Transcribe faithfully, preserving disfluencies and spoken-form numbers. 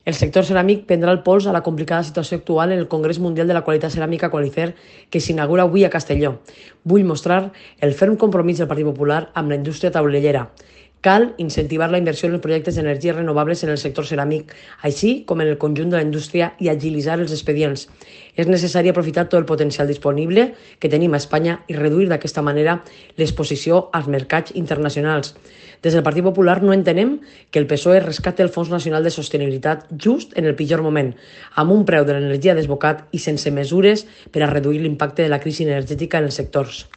El sector ceràmic prendrà el pols a la complicada situació actual en el Congrés Mundial de la Qualitat Ceràmica Qualicer que s'inaugura avui a Castelló. Vull mostrar el ferm compromís del Partit Popular amb la indústria taulellera. Cal incentivar la inversió en els projectes d'energies renovables en el sector ceràmic, així com en el conjunt de la indústria, i agilitzar els expedients. És necessari aprofitar tot el potencial disponible que tenim a Espanya i reduir d'aquesta manera l'exposició als mercats internacionals. Des del Partit Popular no entenem que el P S O E rescati el Fons Nacional de Sostenibilitat just en el pitjor moment, amb un preu de l'energia desbocat i sense mesures per a reduir l'impacte de la crisi energètica en els sectors.